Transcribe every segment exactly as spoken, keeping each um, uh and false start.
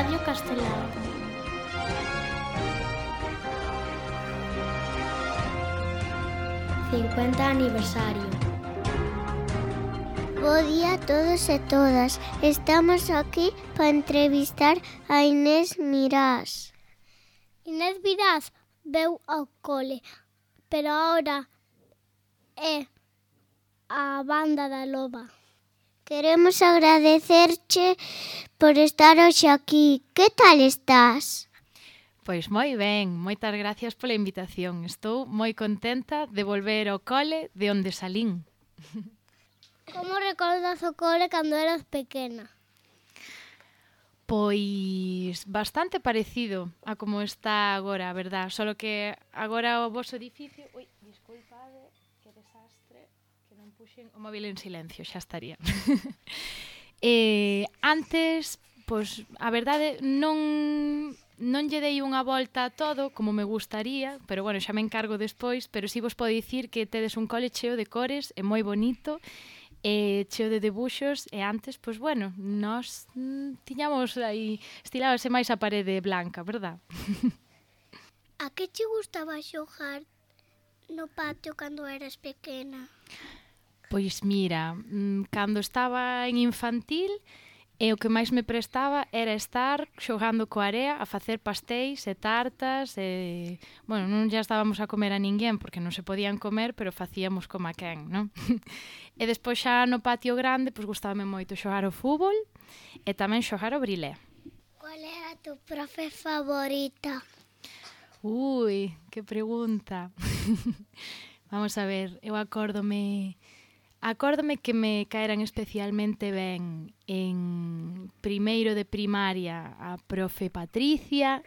Radio Castelao. cincuenta aniversario. Bo día a todos e todas. Estamos aquí para entrevistar a Inés Mirás. Inés Mirás veu ao cole, pero agora é a banda da Loba. Queremos agradecerche por estar hoxe aquí. Que tal estás? Pois moi ben, moitas gracias pola invitación. Estou moi contenta de volver ao cole de onde salín. Como recordas o cole cando eras pequena? Pois bastante parecido a como está agora, a verdad. Solo que agora o voso edificio... Ui, disculpade, que desastre, que non puxen o móvil en silencio, xa estaría. eh, antes, pois, a verdade, non... Non lle dei unha volta a todo como me gustaría, pero bueno, xa me encargo despois, pero si vos podo dicir que tedes un cole cheo de cores, é moi bonito, e cheo de debuxos, e antes, pois bueno, nós mm, tiñamos aí, estilábase máis a parede blanca, verdad? A que che gustaba xogar no patio cando eras pequena? Pois mira, mm, cando estaba en infantil, e o que máis me prestaba era estar xogando coa area, a facer pastéis e tartas, e, bueno, non já estábamos a comer a ninguén, porque non se podían comer, pero facíamos como a quen, non? E despois xa no patio grande, pois gustábame moito xogar o fútbol e tamén xogar o brilé. Qual era a tu profe favorita? Ui, que pregunta. Vamos a ver, eu acórdome... Acórdome que me caeran especialmente ben en primeiro de primaria a profe Patricia,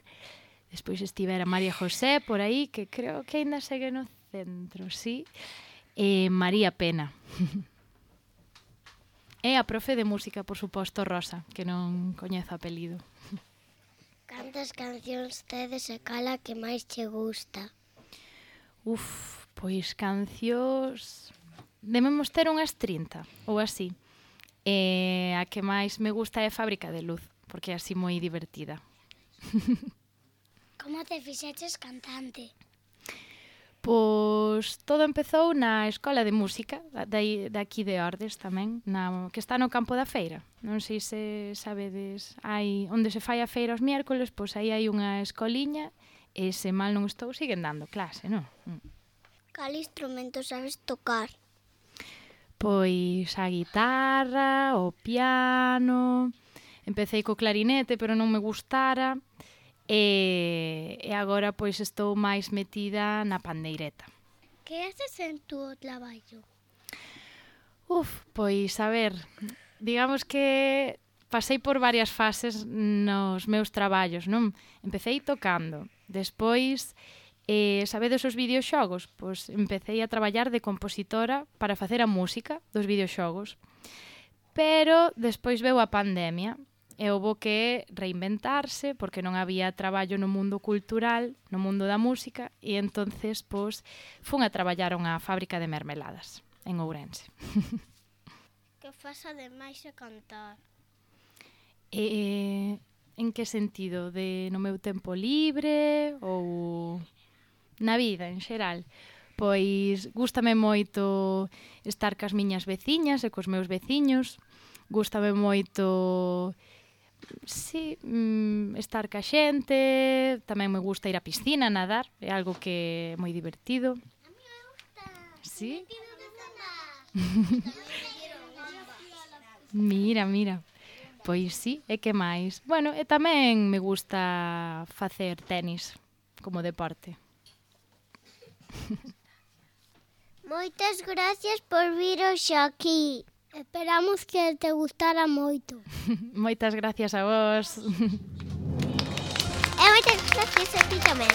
despois estivera María José por aí, que creo que aínda segue no centro, sí, e María Pena. E a profe de música, por suposto, Rosa, que non coñezo o apelido. Cantas cancións tedes e cala que máis che gusta? Uf, pois cancións... Debemos ter unhas trinta, ou así. E a que máis me gusta é Fábrica de Luz, porque é así moi divertida. Como te fixeches cantante? Pois todo empezou na Escola de Música, de, de aquí de Ordes tamén, na, que está no Campo da Feira. Non sei se sabedes, hai, onde se fai a feira os miércoles, pois aí hai unha escoliña, e se mal non estou, siguen dando clase, non? Cal instrumento sabes tocar? Pois a guitarra, o piano, empecé co clarinete, pero non me gustara, e, e agora pois estou máis metida na pandeireta. Que haces en tu traballo? Uf, pois a ver, digamos que pasei por varias fases nos meus traballos, non? Empecéi tocando, despois... E sabedes os videoxogos? Pois empecé a traballar de compositora para facer a música dos videoxogos. Pero despois veu a pandemia e houbo que reinventarse porque non había traballo no mundo cultural, no mundo da música, e entonces pois fun a traballar a unha fábrica de mermeladas en Ourense. Que faz ademais de cantar? E, en que sentido? De no meu tempo libre ou... Na vida, en xeral, pois gústame moito estar cas miñas veciñas e cos meus veciños, gústame moito, sí, estar ca xente, tamén me gusta ir á piscina, nadar, é algo que é moi divertido. A mí me gusta, sí? me quiero desandar. Mira, mira, pois sí, e que máis? Bueno, e tamén me gusta facer tenis como deporte. Moitas gracias por vir hoxe aquí. Esperamos que te gustara moito. Moitas gracias a vos. E moitas gracias a ti tamén.